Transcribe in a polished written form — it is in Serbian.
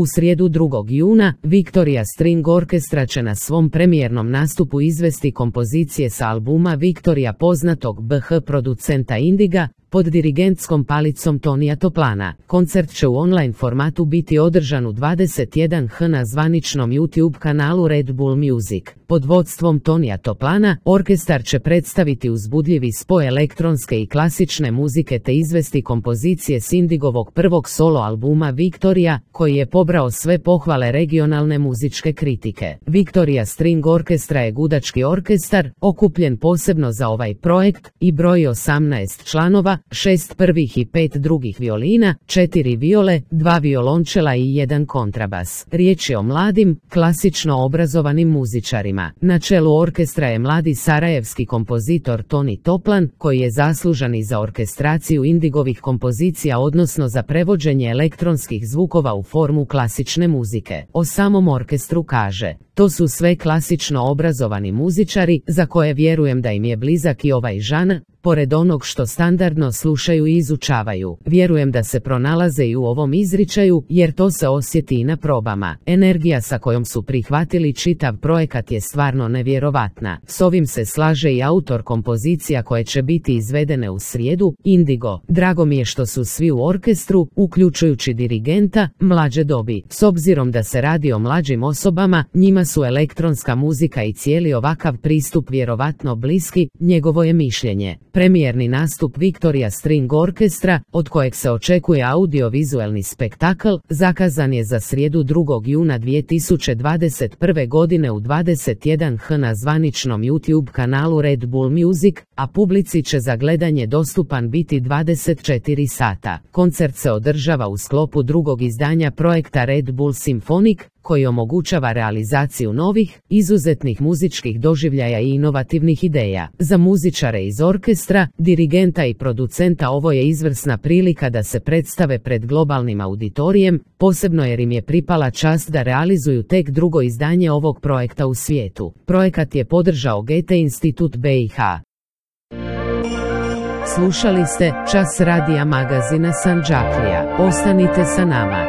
U srijedu 2. juna, Victoria String Orchestra će na svom premijernom nastupu izvesti kompozicije sa albuma Victoria poznatog BH producenta Indiga, pod dirigentskom palicom Tonija Toplana. Koncert će u online formatu biti održan u 21h na zvaničnom YouTube kanalu Red Bull Music. Pod vodstvom Tonija Toplana, orkestar će predstaviti uzbudljivi spoj elektronske i klasične muzike te izvesti kompozicije s Indigovog prvog solo albuma Victoria, koji je pobrao sve pohvale regionalne muzičke kritike. Victoria String Orchestra je gudački orkestar, okupljen posebno za ovaj projekt, i broji 18 članova, 6 prvih i 5 drugih violina, 4 viole, 2 violončela i 1 kontrabas. Riječ je o mladim, klasično obrazovanim muzičarima. Na čelu orkestra je mladi sarajevski kompozitor Toni Toplan, koji je zaslužan i za orkestraciju Indigovih kompozicija, odnosno za prevođenje elektronskih zvukova u formu klasične muzike. O samom orkestru kaže: to su sve klasično obrazovani muzičari, za koje vjerujem da im je blizak i ovaj žanr, pored onog što standardno slušaju i izučavaju. Vjerujem da se pronalaze i u ovom izričaju, jer to se osjeti i na probama. Energija sa kojom su prihvatili čitav projekat je stvarno nevjerovatna. S ovim se slaže i autor kompozicija koje će biti izvedene u srijedu, Indigo. Drago mi je što su svi u orkestru, uključujući dirigenta, mlađe dobi. S obzirom da se radi o mlađim osobama, njima su elektronska muzika i cijeli ovakav pristup vjerovatno bliski, njegovo je mišljenje. Premijerni nastup Victoria String Orchestra, od kojeg se očekuje audiovizualni spektakl, zakazan je za srijedu 2. juna 2021. godine u 21h na zvaničnom YouTube kanalu Red Bull Music, a publici će za gledanje dostupan biti 24 sata. Koncert se održava u sklopu drugog izdanja projekta Red Bull Symphonic, koji omogućava realizaciju novih, izuzetnih muzičkih doživljaja i inovativnih ideja. Za muzičare iz orkestra, dirigenta i producenta ovo je izvrsna prilika da se predstave pred globalnim auditorijem, posebno jer im je pripala čast da realizuju tek drugo izdanje ovog projekta u svijetu. Projekat je podržao Goethe Institut BiH. Slušali ste Čas radija magazina Sandžaklija. Ostanite sa nama.